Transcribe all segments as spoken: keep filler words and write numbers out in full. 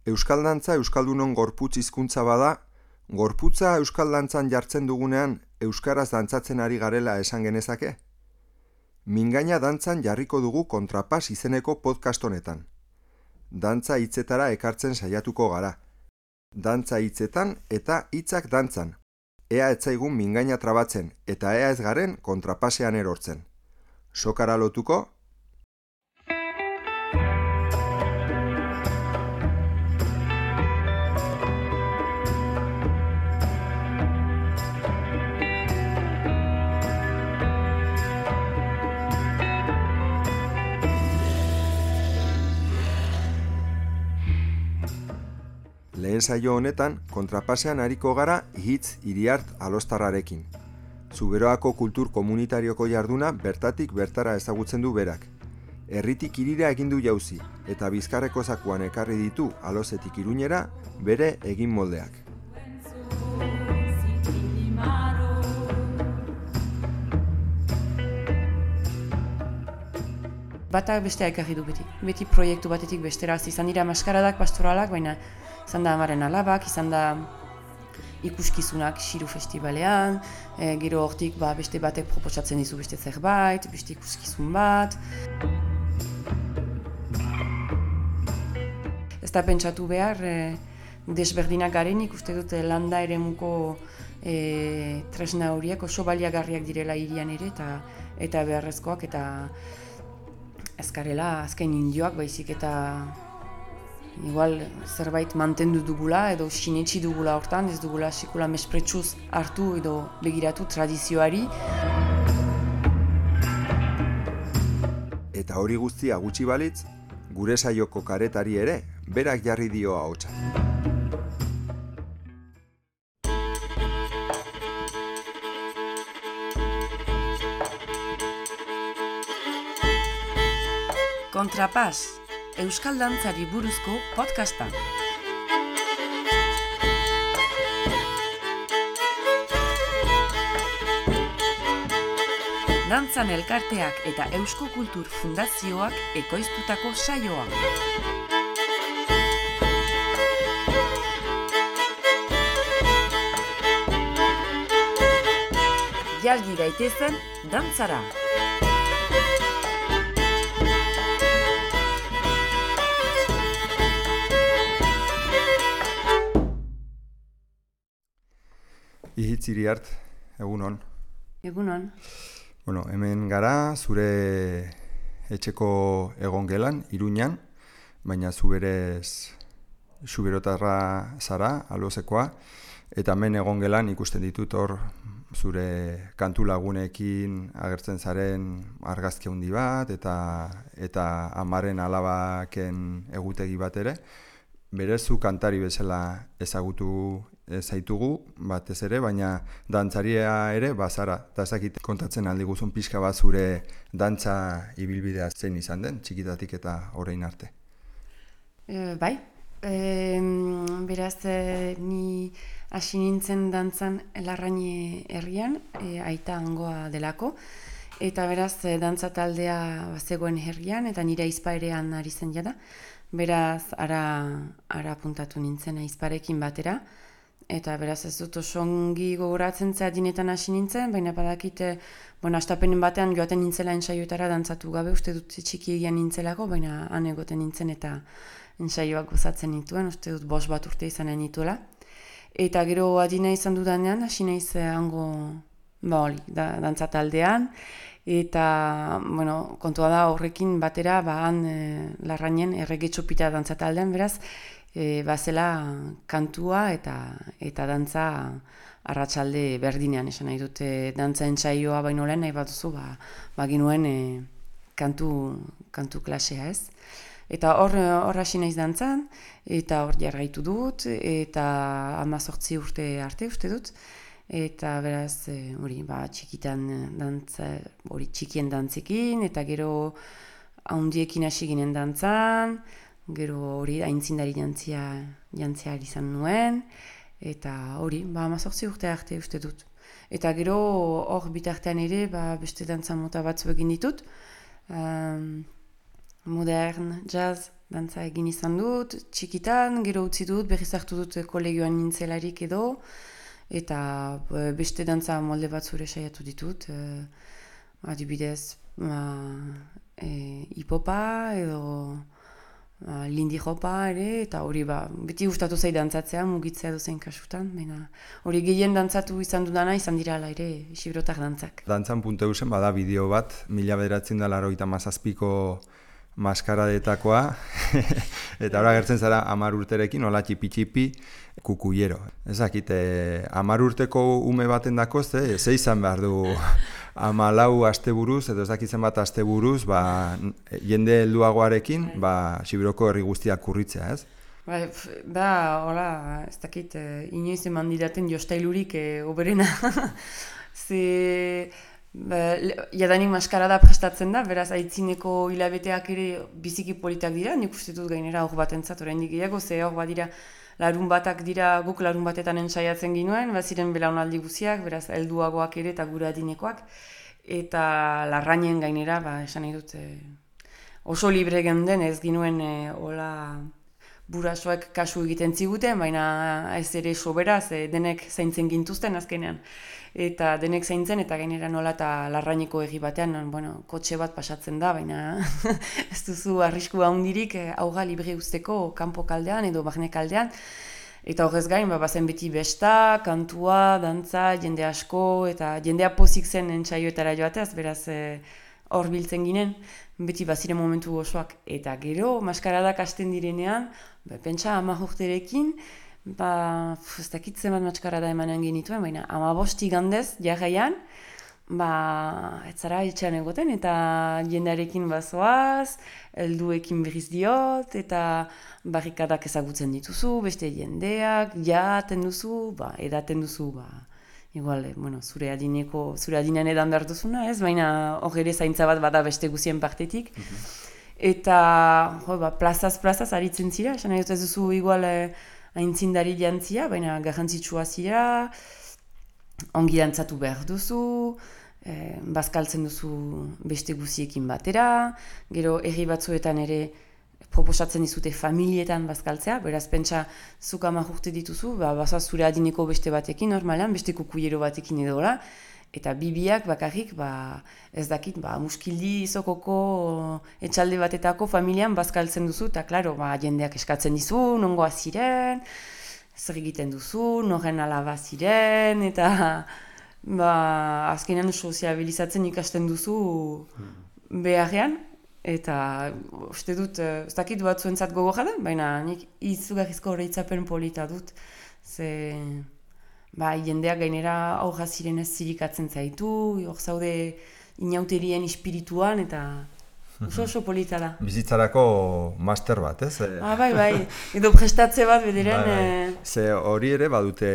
Euskal dantza euskaldunon gorputz hizkuntza bada, gorputza euskal dantzan jartzen dugunean euskaraz dantzatzen ari garela esan genezake? Mingaina dantzan jarriko dugu Kontrapas izeneko podcast honetan. Dantza hitzetara ekartzen saiatuko gara. Dantza hitzetan eta hitzak dantzan. Ea ez zaigun mingaina trabatzen eta ea ez garen kontrapasean erortzen. Sokara lotuko? Lehen saio honetan, kontrapasean ariko gara Hitz Iriart Alostarrarekin. Zuberoako kultur komunitarioko jarduna bertatik bertara ezagutzen du berak. Herritik hirira egin du jauzi, eta Bizkarreko zakuan ekarri ditu Alosetik Iruñera bere egin moldeak. Bata bestea ekarri du beti. Beti proiektu batetik bestera. Izan dira maskaradak, pastoralak, baina izan da amaren alabak, izan da ikuskizunak Xiru Festibalean, e, gero hortik ba, beste batek proposatzen dizu beste zerbait, beste ikuskizun bat. Ez da pentsatu behar, e, desberdinak garenik uste dut landa eremuko e, tresna horiek oso baliagarriak direla hirian ere eta, eta beharrezkoak eta ezkarela azken indioak baizik eta igual zerbait mantendu dugula edo sinetsi dugula hortan, ez dugula sekula mespretsuz hartu edo begiratu tradizioari. Eta hori guztia gutxi balitz, gure saioko karetari ere berak jarri dio ahotsa. Kontrapas, euskal dantzari buruzko podcasta. Dantzan elkarteak eta Eusko Kultur Fundazioak ekoiztutako saioa. Jalgi gaitezen dantzara. Hitz Iriart, egunon. Egunon. Bueno, hemen gara zure etxeko egongelan, Iruñan, baina zu berez zuberotarra zara, Alosekoa, eta hemen egongelan ikusten ditut hor zure kantu lagunekin agertzen zaren argazki handi bat eta eta amaren alabaken egutegi bat ere. Berez zu kantari bezala ezagutu zaitugu batez ere, baina dantzaria ere bazara. Eta ezakit kontatzen aldi guzun pixka bat zure dantza ibilbidea zein izan den, txikitatik eta orain arte. E, bai, e, beraz e, ni hasi nintzen dantzan Larrañe herrian, e, aita hangoa delako, eta beraz e, dantza taldea zegoen herrian, eta nire aizpa erean ari zen jada. Beraz, ara, ara puntatu nintzen aizparekin batera, eta beraz ez dut oso ongi gogoratzen zehadinetan hasi nintzen, baina badakite, bueno, astapenen batean joaten nintzela ensaioetara dantzatu gabe, uste dut txiki egian nintzelako, baina han egoten nintzen eta ensaioak gozatzen nituen, uste dut bost bat urte izanen nituela. Eta gero adina izan dudanean, hasi naiz hango, ba hori, da, dantza taldean, eta, bueno, kontua da horrekin batera, ba han e, Larrañen erregetxopita dantza taldean, beraz, E, bazela kantua eta eta dantza arratsalde berdinean esan nahi dute dantza entsaioa baino lehen nahi baduzu ba baginuen e, kantu kantu klasea, ez? Eta hor hor hasi naiz dantzan eta hor jarraitu dut eta hamazortzi urte arte uste dut eta beraz hori e, ba txikitan dantza hori txikien dantzekin eta gero handiekin hasi ginen dantzan. Gero hori aintzindari jantzia, jantzia izan nuen, eta hori, ba, hamazortzi urte arte uste dut. Eta gero hor bitartean ere, ba, beste dantza mota batzu egin ditut. Um, modern, jazz, dantza egin izan dut, txikitan, gero utzi dut, berriz hartu dut kolegioan nintzelarik edo, eta beste dantza molde bat zure saiatu ditut, e, adibidez, ba, e, hipopa edo ba, lindy hopa ere, eta hori ba, beti gustatu zait dantzatzea, mugitzea dozein kasutan, baina hori gehien dantzatu izan dudana izan dira ala ere Xiberotar dantzak. Dantzan puntu eusen bada bideo bat, mila bederatzen da laurogeita hamazazpiko maskaradetakoa, eta ora gertzen zara hamar urterekin, hola txipi-txipi, kukuiero. Ezakit, hamar urteko ume baten dako, ze, ze izan behar du hamalau asteburuz, edo ez dakitzen bat asteburuz, ba, jende helduagoarekin, ba, Xiberoko herri guztiak kurritzea, ez? Ba, da, hola, ez dakit, inoiz eman didaten jostailurik eh, oberena. Ze... Ba, jadanik maskarada prestatzen da, beraz aitzineko hilabeteak ere biziki politak dira, nik uste dut gainera hor batentzat oraindik gehiago, ze hor bat dira larun batak dira, guk larun batetan entsaiatzen ginuen, baziren belaunaldi guziak, beraz helduagoak ere eta gure adinekoak, eta larrainen gainera, ba, esan nahi dut, e, oso libre genden ez ginuen e, hola burasoek kasu egiten ziguten, baina ez ere soberaz, e, denek zaintzen gintuzten azkenean. Eta denek zaintzen, eta gainera nola eta larraineko egi batean, bueno, kotxe bat pasatzen da, baina ez duzu arrisku handirik auga libre usteko kanpo kaldean edo barne kaldean. Eta horrez gain, ba, bazen beti besta, kantua, dantza, jende asko, eta jendea pozik zen entsaioetara joateaz, beraz hor biltzen ginen, beti baziren momentu osoak. Eta gero, maskaradak hasten direnean, ba, pentsa hamar urterekin, ba, ez dakitzen bat maskarada emanen genituen, baina hamabost igandez, jarraian, ba, ez zara etxean egoten, eta jendearekin bazoaz, helduekin berriz diot, eta barrikadak ezagutzen dituzu, beste jendeak, jaten duzu, ba, edaten duzu, ba, igual, bueno, zure adineko, zure adinean edan behar duzuna, ez, baina hor ere zaintza bat bada beste guzien partetik, eta, jo, ba, plazaz, plazaz, aritzen zira, esan nahi dut ez duzu, igual, aintzindari jantzia, baina garrantzitsua zira, ongi dantzatu behar duzu, eh, bazkaltzen duzu beste guziekin batera, gero herri batzuetan ere proposatzen dizute familietan bazkaltzea, beraz pentsa zuk hamar urte dituzu, ba, baza zure adineko beste batekin, normalan, beste kukuiero batekin edola, eta bibiak bakarrik, ba, ez dakit, ba, muskildi izokoko etxalde batetako familian bazkaltzen duzu, eta klaro, ba, jendeak eskatzen dizu, nongoa ziren, zer egiten duzu, noren alaba ziren, eta ba, azkenean soziabilizatzen ikasten duzu beharrean, eta uste dut, ez dakit batzuentzat gogorra da, baina nik izugarrizko horreitzapen polita dut, ze... Ba, jendeak gainera aurra ziren ez zirikatzen zaitu, hor zaude inauterien espirituan, eta oso oso polita da. Bizitzarako master bat, ez? Ah, bai, bai, edo prestatze bat bederen. Bai, bai. Ze hori ere badute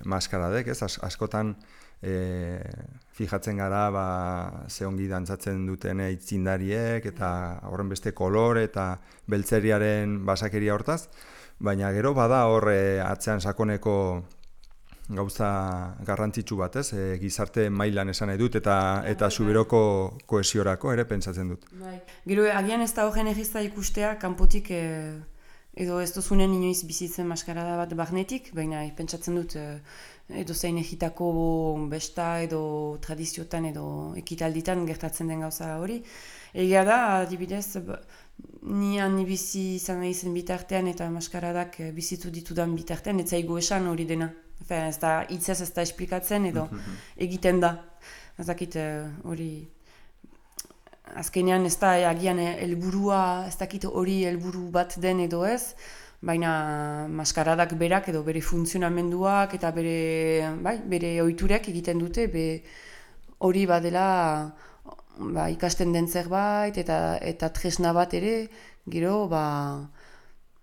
maskaradek, ez? As, askotan e, fijatzen gara, ba, ze ongi dantzatzen duten aitzindariek, eta horren beste kolore eta beltzeriaren basakeria hortaz, baina gero bada hor atzean sakoneko gauza garrantzitsu bat, ez? E, gizarte mailan esan nahi dut, eta eta Xiberoko kohesiorako ere pentsatzen dut. Bai. Gero agian ez da horren egizta ikustea, kanpotik e, edo ez duzunen inoiz bizitzen maskarada bat barnetik, baina pentsatzen dut e, edo zein egitako besta edo tradiziotan edo ekitalditan gertatzen den gauza hori. Egia da, adibidez, ni ni bizi izan nahi zen bitartean eta maskaradak bizitu ditudan bitartean, ez zaigu esan hori dena. Efen, ez da hitzez ez da esplikatzen edo egiten da. Ez dakit hori... Azkenean ez da agian helburua, ez dakit hori helburu bat den edo ez, baina maskaradak berak edo bere funtzionamenduak eta bere, bai, bere ohiturek egiten dute, be hori badela ba, ikasten den zerbait eta, eta tresna bat ere, gero ba,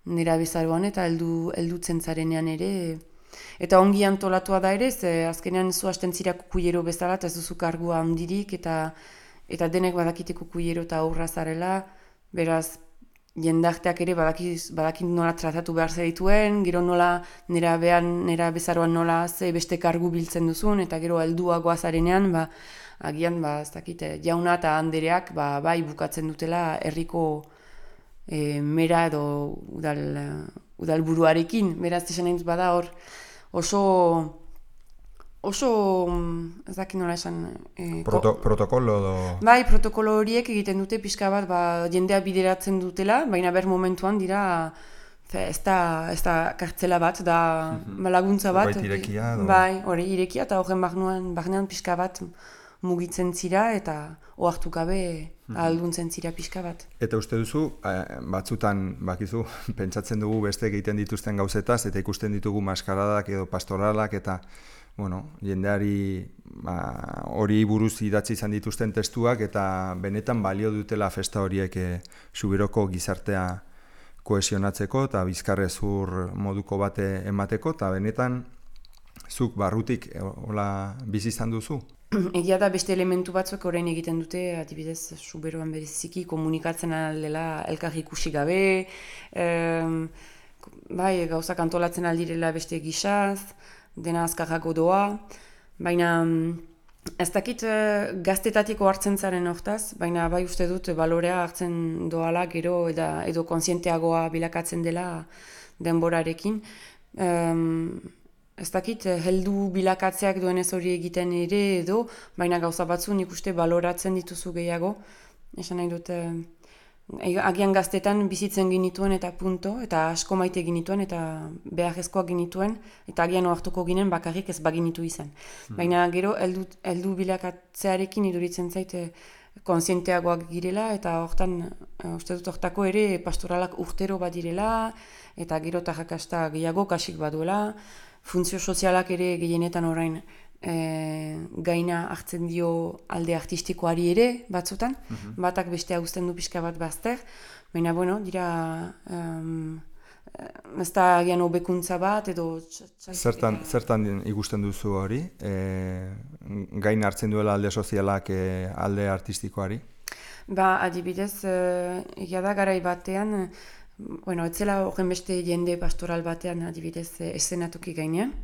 nera bezaroan eta heldu, heldutzen zarenean ere, eta ongi antolatua da ere, ze azkenean zu hasten zira kukuiero bezala, eta ez duzu kargua handirik, eta, eta denek badakite kukuiero eta aurra zarela, beraz, jendarteak ere badakit, badakit nola tratatu behar zerituen, gero nola nera behan, nera bezaroan nola ze beste kargu biltzen duzun, eta gero helduagoa zarenean, ba, agian, ba, ez dakit, jauna eta andereak, ba, bai bukatzen dutela herriko e, mera edo udal, udalburuarekin, beraz esan nahi dut bada hor oso oso ez dakit nola esan e, Proto, protokolo do... bai, protokolo horiek egiten dute pixka bat ba, jendea bideratzen dutela, baina ber momentuan dira fe, ez da, ez da kartzela bat, da mm-hmm. laguntza bat. Zerbait irekia, do... Bai, hori irekia, eta horren barnean, barnean pixka bat mugitzen zira, eta ohartu gabe mm-hmm. ahalduntzen zira pixka bat. Eta uste duzu, batzutan, bakizu, pentsatzen dugu beste egiten dituzten gauzetaz, eta ikusten ditugu maskaradak edo pastoralak, eta bueno, jendeari hori ba, buruz idatzi izan dituzten testuak, eta benetan balio dutela festa horiek e, Subiroko gizartea kohesionatzeko eta bizkarrezur moduko bate emateko, eta benetan zuk barrutik hola bizi izan duzu? Egia da beste elementu batzuk orain egiten dute, adibidez Suberoan bereziki komunikatzen aldela elkar ikusi gabe, em, bai, gauzak antolatzen aldirela beste gisaz, dena azkarrago doa, baina ez dakit gaztetatiko hartzen zaren hortaz, baina bai uste dut balorea hartzen doala gero eda, edo kontzienteagoa bilakatzen dela denborarekin. Um, ez dakit heldu bilakatzeak duenez hori egiten ere edo, baina gauza batzu nik uste baloratzen dituzu gehiago. Esan nahi dut, agian gaztetan bizitzen ginituen eta punto, eta asko maite ginituen eta beharrezkoak ginituen, eta agian ohartuko ginen bakarrik ez baginitu izan. Hmm. Baina gero heldu, heldu bilakatzearekin iduritzen zaite kontzienteagoak girela, eta hortan, uste dut hortako ere pastoralak urtero bat direla, eta gero tarrakasta gehiago kasik baduela, funtzio sozialak ere gehienetan orain E, gaina hartzen dio alde artistikoari ere batzutan, mm-hmm. batak beste uzten du pixka bat bazter, baina bueno, dira um, ez da agian hobekuntza bat edo zertan, zertan ikusten duzu hori, e, gaina hartzen duela alde sozialak e, alde artistikoari? Ba, adibidez, egia da garai batean, bueno, etzela horren beste jende pastoral batean adibidez eszenatuki gainean,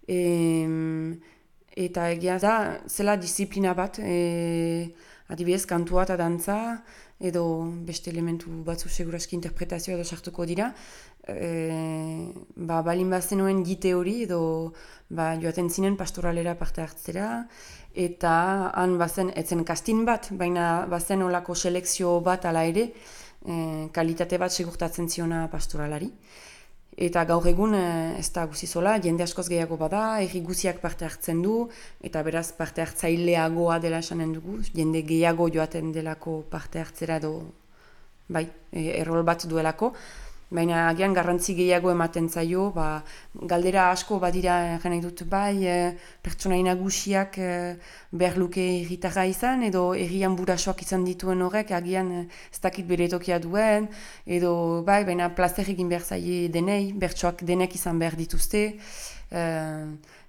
e, eta egia da, zela disiplina bat, e, adibidez, kantua eta dantza, edo beste elementu batzu seguraski interpretazioa edo sartuko dira. E, ba, balin bazenuen gite hori, edo ba, joaten zinen pastoralera parte hartzera, eta han bazen, etzen kastin bat, baina bazen olako selekzio bat ala ere, e, kalitate bat segurtatzen ziona pastoralari. Eta gaur egun ez da guzizola, jende askoz gehiago bada, erri guziak parte hartzen du, eta beraz parte hartzaileagoa dela esanen dugu, jende gehiago joaten delako parte hartzera edo, bai, errol bat duelako. Baina agian garrantzi gehiago ematen zaio, ba, galdera asko badira nahi dut bai, e, pertsonai nagusiak e, behar luke herritarra izan, edo herrian burasoak izan dituen horrek, agian ez dakit bere tokia duen, edo bai, baina plazer egin behar zaie denei, bertsoak denek izan behar dituzte, e,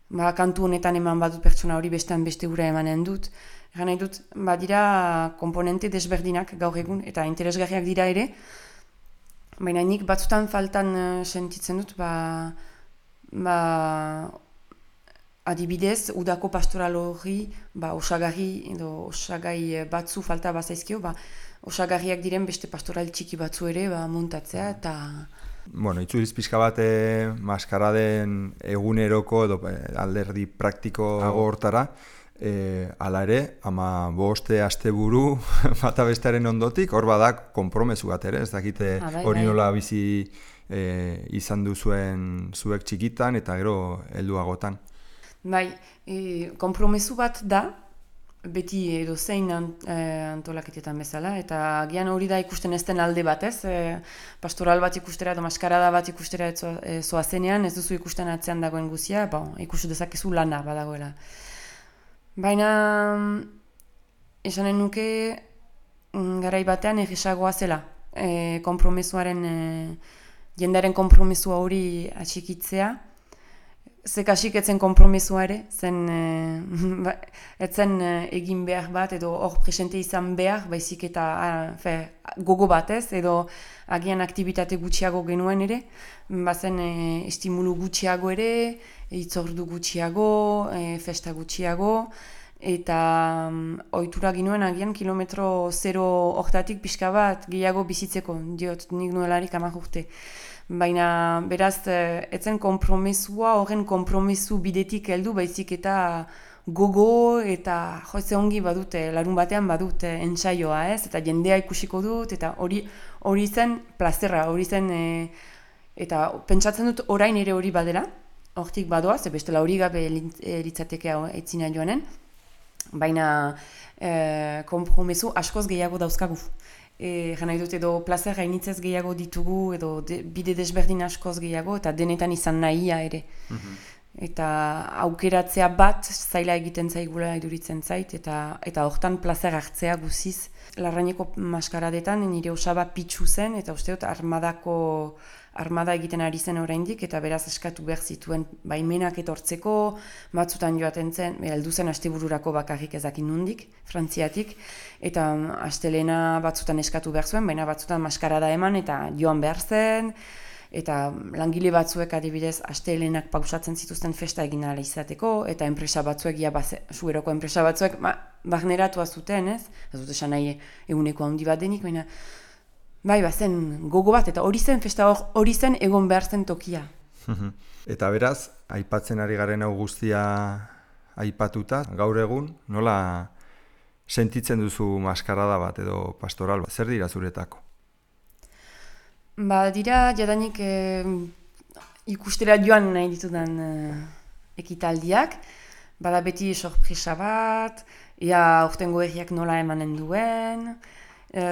ba, kantu honetan eman badut pertsona hori bestean beste ura emanen dut. Egan nahi dut, badira komponente desberdinak gaur egun, eta interesgarriak dira ere, baina nik batzutan faltan uh, sentitzen dut, ba, ba, adibidez, udako pastoral hori, ba, osagarri edo osagai batzu falta bazaizkio, ba, osagarriak diren beste pastoral txiki batzu ere ba, montatzea, eta... Bueno, itzuliz pixka bat eh, maskaraden eguneroko edo alderdi praktiko hortara, E, ala ere, ama boste asteburu bata bestearen ondotik, hor badak konpromesu bat ere, ez dakite hori nola bizi e, izan duzuen zuek txikitan eta gero helduagotan. Bai, e, konpromesu bat da, beti edo zein ant, e, antolaketetan bezala, eta agian hori da ikusten ez den alde bat, ez? E, pastoral bat ikustera edo maskarada bat ikustera zoazenean, ez duzu ikusten atzean dagoen guzia, bon, ikustu dezakezu lana badagoela. Baina, esanen nuke, garai batean egisagoa zela, e, kompromesuaren, e, jendaren kompromesua hori atxikitzea, zekasik etzen kompromesua ere, zen, e, etzen egin behar bat, edo hor presente izan behar, baizik eta a, fe, gogo batez, edo agian aktibitate gutxiago genuen ere, bazen e, estimulu gutxiago ere, hitzordu gutxiago, e, festa gutxiago, eta um, ohitura ginuen agian kilometro zero hortatik pixka bat gehiago bizitzeko, diot, nik nuelarik hamak urte. Baina, beraz, etzen konpromesua, horren konpromesu bidetik heldu, baizik eta gogo eta joze ongi badute, larun batean badute entsaioa, ez? Eta jendea ikusiko dut, eta hori hori zen plazerra, hori zen, e, eta pentsatzen dut orain ere hori badela, hortik badoa, ze bestela hori gabe litzateke etzina joanen, baina e, konpromesu askoz gehiago dauzkagu. E, Gana dut edo plazer gainitzez gehiago ditugu, edo de, bide desberdin askoz gehiago, eta denetan izan nahia ere. Mm-hmm. Eta aukeratzea bat zaila egiten zaigula iduritzen zait, eta eta hortan plazer hartzea guziz. Larraineko maskaradetan nire osaba pitsu zen, eta uste dut armadako armada egiten ari zen oraindik, eta beraz eskatu behar zituen baimenak etortzeko, batzutan joaten zen, heldu zen astebururako bakarrik ezakin nundik, Frantziatik, eta astelena batzutan eskatu behar zuen, baina batzutan maskarada eman eta joan behar zen, eta langile batzuek adibidez astelenak pausatzen zituzten festa egin ala izateko, eta enpresa batzuek, ja, sueroko enpresa batzuek, ba, barneratua zuten, ez? Ez dut esan nahi eguneko handi bat denik, baina bai, bazen gogo bat, eta hori zen festa hori zen egon behar zen tokia. Eta beraz, aipatzen ari garen hau guztia aipatuta, gaur egun, nola sentitzen duzu maskarada bat edo pastoral bat? Zer dira zuretako? Ba, dira, jadanik e, ikustera joan nahi ditudan e, ekitaldiak, bada beti sorpresa bat, ea aurtengo erriak nola emanen duen, e,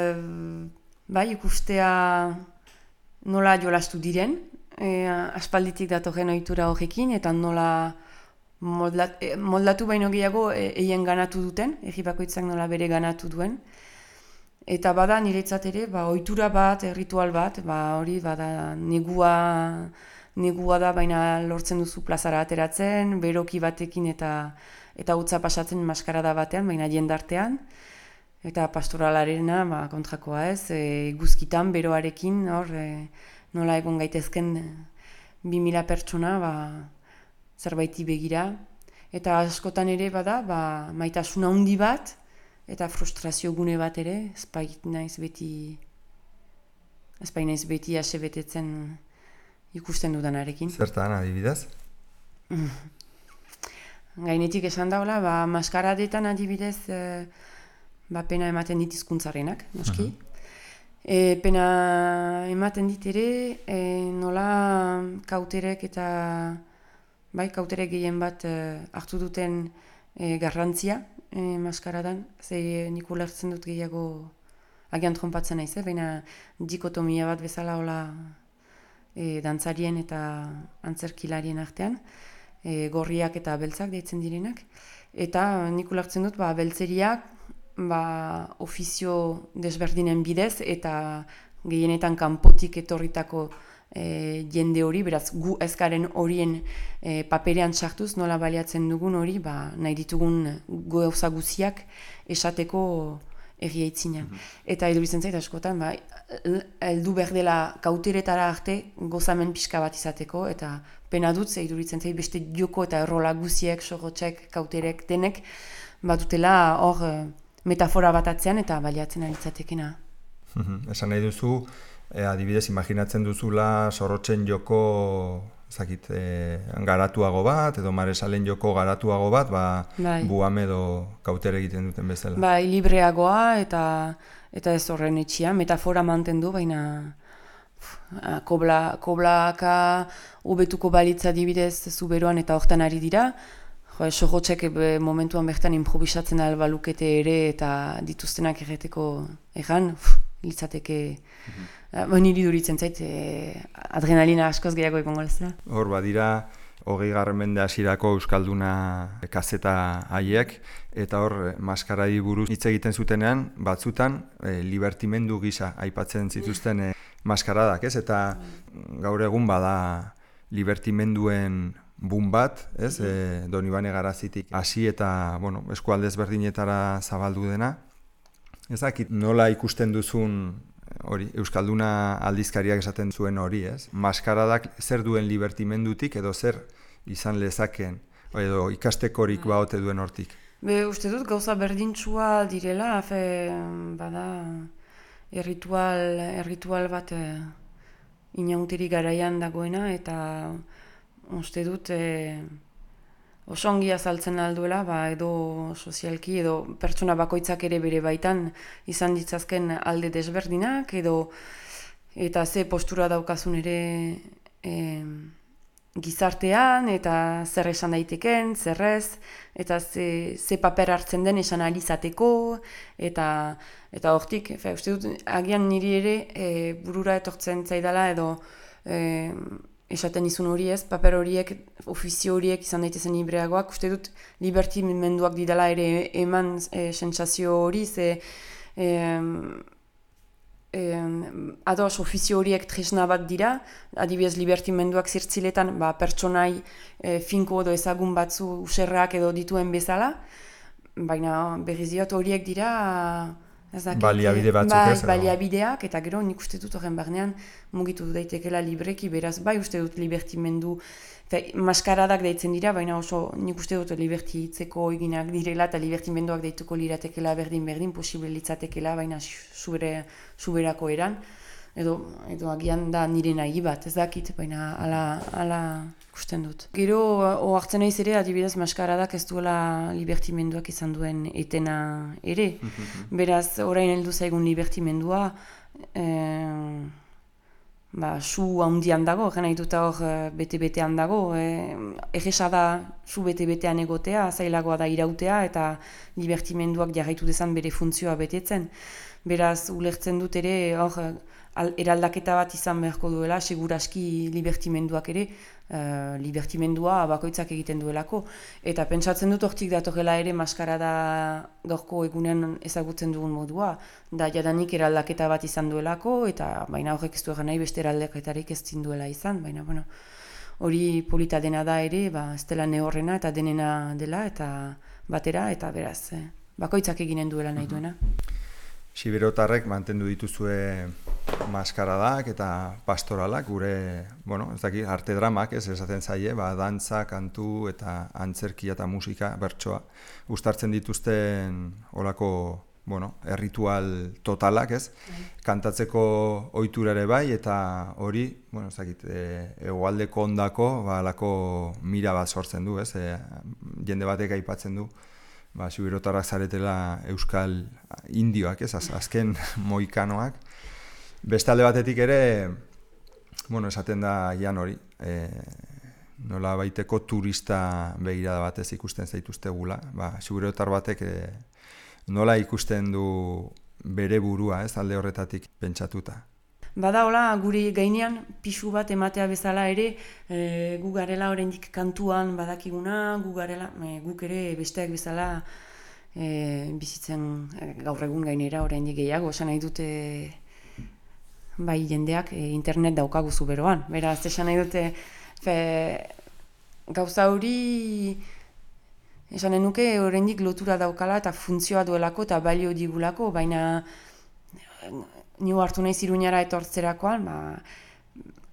bai, ikustea nola jolastu diren, e, aspalditik datorren ohitura horrekin, eta nola moldat, e, moldatu baino gehiago eien ganatu duten, erri bakoitzak nola bere ganatu duen. Eta bada niretzat ere, ba, ohitura bat, ritual bat, ba, hori bada negua, negua da, baina lortzen duzu plazara ateratzen, beroki batekin eta eta utza pasatzen maskarada batean, baina jendartean. Eta pastoralarena, ba, kontrakoa ez, e, guzkitan, beroarekin, hor, e, nola egon gaitezken bi mila pertsona, ba, zerbaiti begira. Eta askotan ere bada, ba, maitasuna handi bat, eta frustrazio gune bat ere, ezpait naiz beti, ezpait naiz beti ase betetzen ikusten dudanarekin. Zertan adibidez? Gainetik esan daula, ba, maskaradetan adibidez, e, ba, pena ematen dit hizkuntzarenak, noski. Uh-huh. E, pena ematen dit ere, e, nola kauterek eta, bai, kauterek gehien bat e, hartu duten e, garrantzia e, maskaradan, ze nik ulertzen dut gehiago agian trompatzen naiz, eh? Baina dikotomia bat bezala hola e, dantzarien eta antzerkilarien artean, e, gorriak eta beltzak deitzen direnak, eta nik ulertzen dut, ba, beltzeriak, ba, ofizio desberdinen bidez eta gehienetan kanpotik etorritako e, jende hori, beraz gu ezkaren horien e, paperean sartuz nola baliatzen dugun hori, ba, nahi ditugun gauza guziak esateko erriaitzina. Mm-hmm. Eta iduritzen zait askotan, ba, heldu behar dela kauteretara arte gozamen pixka bat izateko, eta pena dut, ze iduritzen zait beste joko eta errola guziek, sorotxek, kauterek, denek, badutela hor metafora bat atzean eta baliatzen aritzatekena. Mm-hmm. Esan nahi duzu, eh, adibidez, imaginatzen duzula sorrotzen joko zakit, eh, garatuago bat, edo maresalen joko garatuago bat, ba, bai. Buame edo kautere egiten duten bezala. Bai, libreagoa eta eta ez horren etxia, metafora mantendu, baina kobla, koblaka hobetuko balitza adibidez zuberoan eta hortan ari dira. Jo, sorrotzek momentuan bertan improvisatzen albalukete ere eta dituztenak erreteko erran, litzateke, mm-hmm. niri duritzen zait, e, adrenalina askoz gehiago egongo lezera. Hor, badira, hogei garren mende hasierako euskalduna kazeta haiek, eta hor, maskaradi buruz hitz egiten zutenean, batzutan, e, libertimendu gisa aipatzen zituzten e, maskaradak, ez? Eta gaur egun bada libertimenduen bun bat, ez, e, Donibane Garazitik hasi eta, bueno, eskualde ezberdinetara zabaldu dena. Ez dakit nola ikusten duzun hori, euskalduna aldizkariak esaten zuen hori, ez? Maskaradak zer duen libertimendutik edo zer izan lezaken, edo ikastekorik baote duen hortik. Be, uste dut gauza berdintsua direla, fe, bada, erritual, erritual bat e, inauteri garaian dagoena, eta uste dut e, oso ongi azaltzen alduela, ba, edo sozialki, edo pertsona bakoitzak ere bere baitan izan ditzazken alde desberdinak, edo eta ze postura daukazun ere e, gizartean, eta zer esan daiteken, zer ez, eta ze, ze paper hartzen den esan alizateko, eta eta hortik, fe, uste dut, agian niri ere e, burura etortzen zaidala, edo e, esaten izun hori ez, paper horiek, ofizio horiek izan daitezen libreagoak, uste dut libertimenduak didala ere eman e, sentsazio hori, ze e, e, ados ofizio horiek tresna bat dira, adibidez libertimenduak zirtziletan ba, pertsonai e, finko edo ezagun batzu userrak edo dituen bezala, baina berriz diot horiek dira Dakit, baliabide batzuk bai, ez? Baliabideak, eta gero nik uste dut horren barnean mugitu daitekela libreki, beraz bai uste dut libertimendu, fe, maskaradak deitzen dira, baina oso nik uste dut liberti hitzeko eginak direla eta libertimenduak deituko liratekela berdin-berdin, posible litzatekela, baina subere, suberako eran, edo, edo agian da nire nahi bat, ez dakit, baina ala, ala ikusten dut. Gero, ohartzen naiz ere, adibidez, maskaradak ez duela libertimenduak izan duen etena ere. Beraz, orain heldu zaigun libertimendua, e, ba, su handian dago, gena dut hor bete-betean dago. E, Egesa da su bete-betean egotea, zailagoa da irautea, eta libertimenduak jarraitu dezan bere funtzioa betetzen. Beraz, ulertzen dut ere, hor, eraldaketa bat izan beharko duela, seguraski libertimenduak ere, uh, libertimendua bakoitzak egiten duelako. Eta pentsatzen dut hortik datorrela ere maskarada gaurko egunean ezagutzen dugun modua, da jadanik eraldaketa bat izan duelako, eta baina horrek ez du egan nahi beste eraldaketarik ez zinduela izan, baina bueno, hori polita dena da ere, ba, ez dela nehorrena eta denena dela, eta batera, eta beraz, eh, bakoitzak eginen duela nahi duena. Siberotarrek mantendu dituzue maskaradak eta pastoralak, gure, bueno, ez dakit, arte dramak, ez esaten zaie, ba, dantza, kantu eta antzerkia eta musika, bertsoa, uztartzen dituzten olako, bueno, erritual totalak, ez, kantatzeko ohitura ere bai, eta hori, bueno, ez dakit, e, hegoaldeko ondako, ba, alako mira bat sortzen du, ez, e, jende batek aipatzen du, ba, siberotarrak zaretela euskal indioak, ez, az, azken moikanoak. Beste alde batetik ere, bueno, esaten da jan hori, e, nola baiteko turista begirada batez ikusten zaituztegula, ba, siberotar batek e, nola ikusten du bere burua, ez, alde horretatik pentsatuta. Bada hola, guri gainean pisu bat ematea bezala ere, e, gu garela oraindik kantuan badakiguna, gu garela, e, guk ere besteak bezala e, bizitzen e, gaur egun gainera oraindik gehiago, esan nahi dute bai jendeak e, internet daukagu zuberoan. Beraz, esan nahi dute fe, gauza hori esan nuke oraindik lotura daukala eta funtzioa duelako eta balio digulako, baina nio hartu naiz Iruñara etortzerakoan, ba,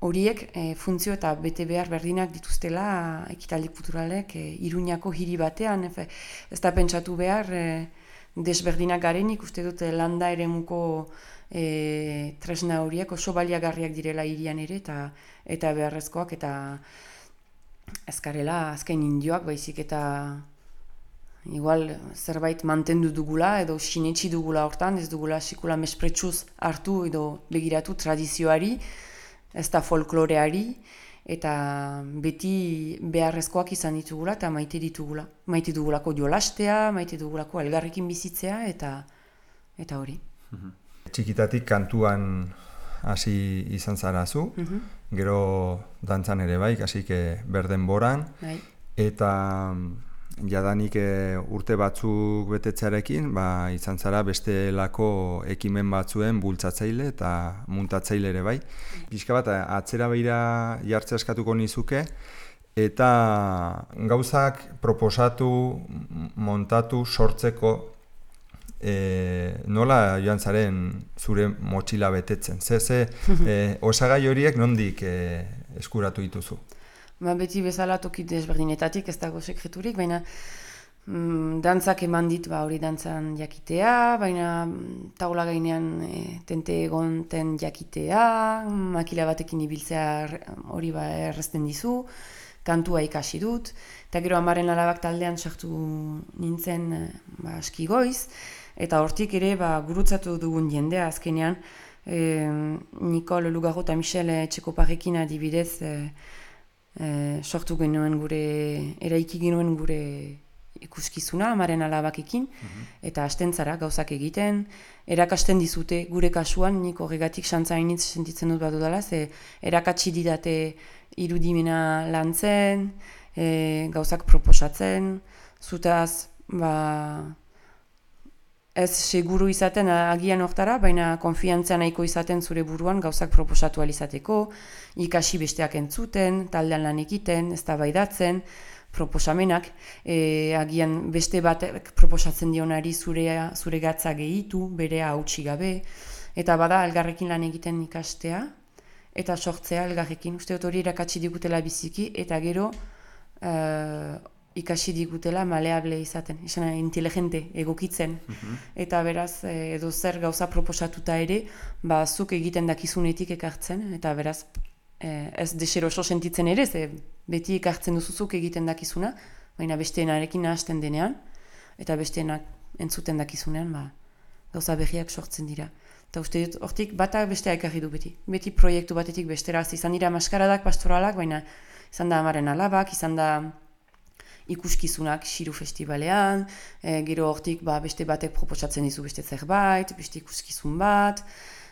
horiek e, funtzio eta bete behar berdinak dituztela ekitaldi kulturalek e, Iruñako hiri batean. Efe, ez da pentsatu behar e, desberdinak garenik, uste dute landa eremuko e, tresna horiek oso baliagarriak direla hirian ere, eta, eta beharrezkoak, eta ezkarela azken indioak baizik eta igual zerbait mantendu dugula edo sinetsi dugula hortan, ez dugula sikula mespretsuz hartu edo begiratu tradizioari, ez da folkloreari, eta beti beharrezkoak izan ditugula eta maite ditugula. Maite dugulako jolastea, maite dugulako elgarrekin bizitzea, eta eta hori. Txikitatik kantuan hasi izan zara zu, uh-huh. Gero dantzan ere bai, hasi berden boran, bai. Eta jadanik e, urte batzuk betetzearekin, ba, izan zara bestelako ekimen batzuen bultzatzaile eta muntatzaile ere bai. Pixka bat, atzera behira jartzea eskatuko nizuke, eta gauzak proposatu, montatu, sortzeko, e, nola joan zaren zure motxila betetzen? Ze, ze e, osagai horiek nondik e, eskuratu dituzu? Ba, beti bezala toki desberdinetatik, ez dago sekreturik, baina mm, dantzak eman dit ba, hori dantzan jakitea, baina taula gainean e, tente egonten jakitea, makila batekin ibiltzea hori ba errezten dizu, kantua ikasi dut, eta gero amaren alabak taldean sartu nintzen ba, aski goiz, eta hortik ere ba, gurutzatu dugun jendea azkenean, e, Nikol Lugarro eta Michel Etxekoparrekin adibidez e, e, sortu genuen gure, eraiki genuen gure ikuskizuna amaren alabakekin, mm-hmm. eta hasten zara gauzak egiten, erakasten dizute gure kasuan, nik horregatik xantzainitz sentitzen dut badudala, ze erakatsi didate irudimena lantzen, e, gauzak proposatzen, zutaz, ba, ez seguru izaten agian hortara, baina konfiantzia nahiko izaten zure buruan gauzak proposatu alizateko, ikasi besteak entzuten, taldean lan egiten, eztabaidatzen, proposamenak, e, agian beste batek proposatzen dionari zure, zure gatza gehitu, berea hautsi gabe, eta bada elgarrekin lan egiten ikastea, eta sortzea elgarrekin, uste dut hori irakatsi digutela biziki, eta gero uh, ikasi digutela maleable izaten, izan inteligente, egokitzen, mm-hmm. eta beraz edo zer gauza proposatuta ere, ba zuk egiten dakizunetik ekartzen, eta beraz ez deseroso sentitzen ere, ze beti ekartzen duzuzuk egiten dakizuna, baina besteenarekin nahasten denean, eta besteenak entzuten dakizunean, ba, gauza berriak sortzen dira. Eta uste dut, hortik batak bestea ekarri du beti. Beti proiektu batetik bestera, izan dira maskaradak, pastoralak, baina izan da amaren alabak, izan da ikuskizunak Xiru Festivalean, e, gero hortik ba, beste batek proposatzen dizu beste zerbait, beste ikuskizun bat,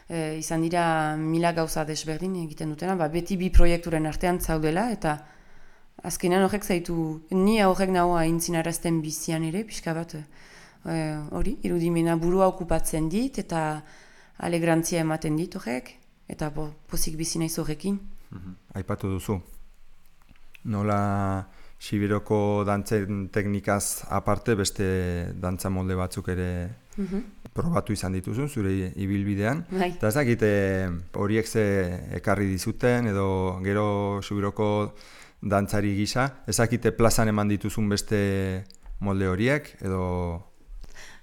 e, izan dira mila gauza desberdin egiten dutena, ba, beti bi proiekturen artean zaudela, eta azkenean horrek zaitu, ni horrek nagoa aintzinarazten bizian ere, pixka bat, hori, e, irudimena burua okupatzen dit, eta alegrantzia ematen dit horrek, eta bo, pozik bizi naiz horrekin. Mm-hmm. Aipatu duzu, nola Sibiroko dantzen teknikaz aparte beste dantza molde batzuk ere mm-hmm. probatu izan dituzun, zure ibilbidean. Bai. Eta ez dakite horiek ze ekarri dizuten, edo gero Sibiroko dantzari gisa, ez dakite plazan eman dituzun beste molde horiek, edo...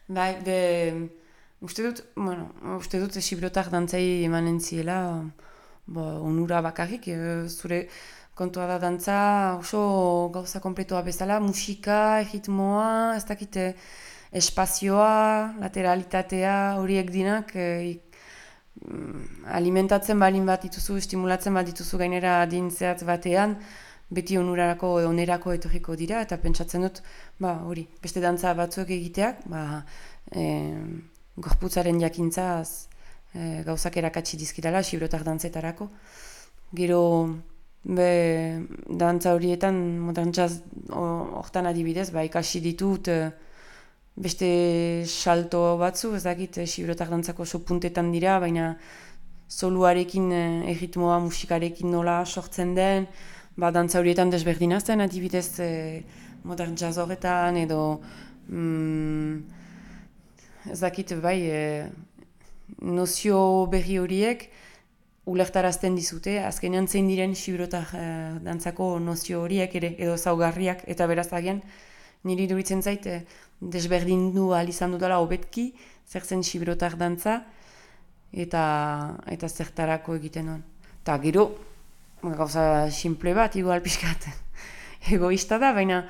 Bai, de... Uste dut, bueno, uste dut Sibirotar dantzai emanen ziela, bo, onura bakarrik, e, zure kontua da dantza oso gauza kompletoa bezala, musika, ritmoa, ez dakite espazioa, lateralitatea, horiek dinak, e, alimentatzen balin bat dituzu, estimulatzen bat dituzu gainera adin zehatz batean, beti onurarako, onerako etorriko dira, eta pentsatzen dut, ba, hori, beste dantza batzuek egiteak, ba, e, gorputzaren jakintzaz e, gauzak erakatsi dizkitala, Sibirotar dantzetarako. Gero, be, dantza horietan, modern jazz hortan adibidez, ba, ikasi ditut e, beste salto batzu, ez dakit, e, Sibirotar dantzako oso puntetan dira, baina soluarekin, e, erritmoa, musikarekin nola sortzen den, ba, dantza horietan desberdinazten, adibidez, e, modern jazz horretan, edo... Mm, ez dakit, bai, e, nozio berri horiek ulertarazten dizute, azkenean zein diren Sibirotar e, dantzako nozio horiek ere, edo zaugarriak, eta beraz agian, niri duritzen zait, e, desberdindu ahal izan dudala hobetki, zer zen Sibirotar dantza, eta, eta zertarako egiten duen. Eta gero, gauza simple bat, igual pixkat, egoista da, baina,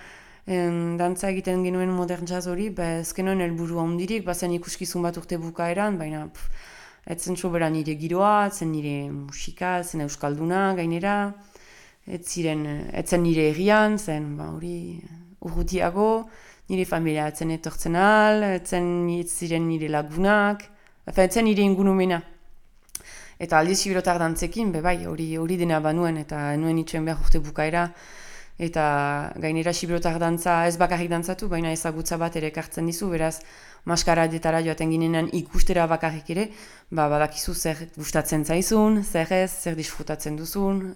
En, dantza egiten genuen modern jazz hori, ba, ezkenuen helburua hundirik, bazen ikuskizun bat urte bukaeran, baina pff, etzen sobera nire giroa, etzen nire musika, etzen euskalduna gainera, etziren, etzen nire herrian, zen ba, hori urrutiago, nire familia etzen etortzen al, etzen etziren nire lagunak, efen, etzen nire ingunumena. Eta aldiz Sibirotar dantzekin, be bai, hori hori dena banuen, eta enuen itxuen behar urte bukaera, eta gainera Sibirotar dantza ez bakarrik dantzatu, baina ezagutza bat ere ekartzen dizu, beraz maskaradetara joaten ginenan ikustera bakarrik ere, ba, badakizu zer gustatzen zaizun, zer ez, zer disfrutatzen duzun,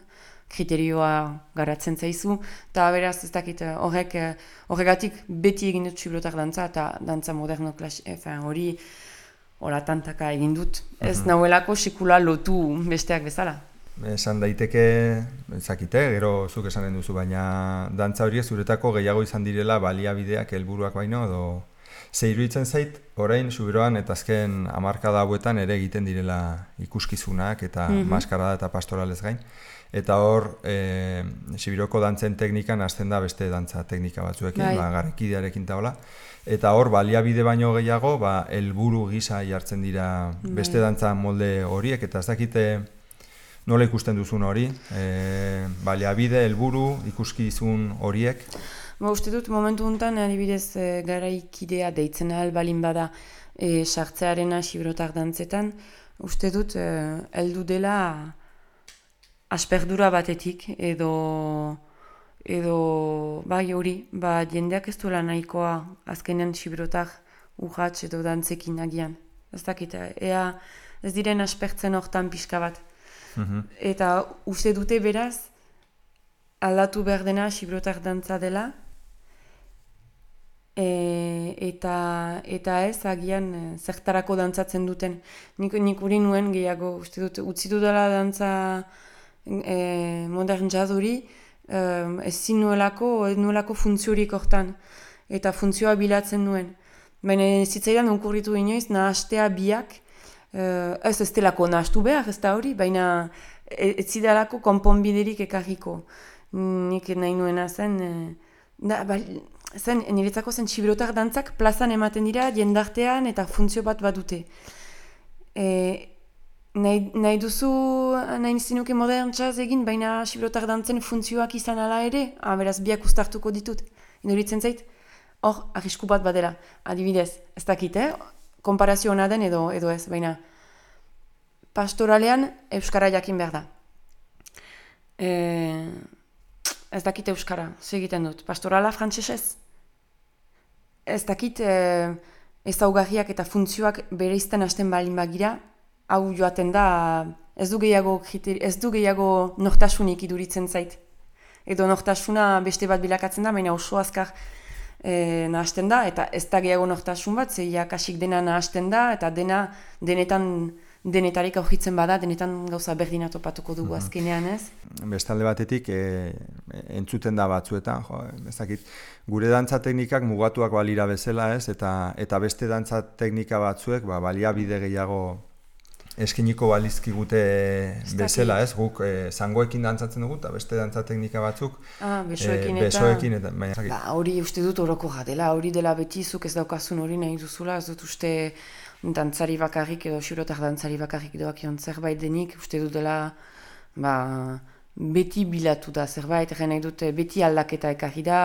kriterioa garatzen zaizu, eta beraz ez dakit horrek, horregatik beti egin dut Sibirotar dantza, eta dantza moderno klasi, efen, hori hola tantaka egin dut, ez uh-huh. nahuelako sekula lotu besteak bezala. esan daiteke, ezakite, gero zuk esanen duzu, baina dantza horiek zuretako gehiago izan direla baliabideak helburuak baino, edo ze iruditzen zait, orain Zuberoan eta azken hamarkada hauetan ere egiten direla ikuskizunak eta mm -hmm. maskarada eta pastoralez gain. Eta hor, e, Sibiroko dantzen teknikan hasten da beste dantza teknika batzuekin, bai. ba, garrekidearekin eta hola. Eta hor, baliabide baino gehiago, ba, helburu gisa jartzen dira beste bai. Dantza molde horiek, eta ez dakite nola ikusten duzun hori, e, baliabide, helburu, ikuskizun horiek. Ba, uste dut, momentu honetan, adibidez, e, garaikidea deitzen ahal balin bada e, sartzearena Sibirotar dantzetan, uste dut, e, heldu dela asperdura batetik, edo, edo bai hori, ba, jendeak ez duela nahikoa azkenean Sibirotar urratx edo dantzekin agian. Ez dakit, ea ez diren aspertzen hortan pixka bat. Mm-hmm. Eta uste dute beraz, aldatu behar dena Sibirotar dantza dela, e, eta, eta ez agian e, zertarako dantzatzen duten. Nik, nik uri nuen gehiago, uste dut, utzitu dela dantza e, modern jazz hori, e, ez zinuelako, ez nuelako funtziorik hortan, eta funtzioa bilatzen nuen. Baina zitzaidan onkurritu inoiz, nahastea biak, e, ez ez delako nahastu behar, ez da hori, baina ez zidalako konponbiderik ekarriko. Nik nahi nuena zen, e, da, ba, zen, niretzako zen Sibirotar dantzak plazan ematen dira, jendartean eta funtzio bat badute. E, nahi, nahi duzu, nahi zinuke modern jazz egin, baina Sibirotar dantzen funtzioak izan ala ere, ah, beraz biak ustartuko ditut. Induritzen zait, hor, arrisku bat badela, adibidez, ez dakit, eh? Konparazio hona den edo, edo ez, baina pastoralean euskara jakin behar da. E, ez dakit euskara, segiten dut. Pastorala frantsesez? Ez dakit e, ezaugarriak eta funtzioak bereizten hasten balin bagira, hau joaten da, ez du gehiago, ez du gehiago nortasunik iduritzen zait. Edo nortasuna beste bat bilakatzen da, baina oso azkar e, nahasten da, eta ez da gehiago nortasun bat, zeiak kasik dena nahasten da, eta dena denetan denetarik aurkitzen bada, denetan gauza berdina topatuko dugu azkenean, ez? Bestalde batetik, e, entzuten da batzuetan, jo, ez dakit, gure dantza teknikak mugatuak balira bezala, ez? Eta, eta beste dantza teknika batzuek, ba, baliabide gehiago eskiniko balizkigute bezala, ez? Guk e, zangoekin dantzatzen dugu, eta beste dantza teknika batzuk ah, besoekin, e, besoekin eta... eta ba, hori uste dut horoko jadela, hori dela beti zuk ez daukazun hori nahi duzula, ez dut uste dantzari bakarrik edo Sibirotar dantzari bakarrik doakion zerbait denik, uste dut dela ba, beti bilatu da zerbait, egin nahi dut beti aldaketa ekarri da,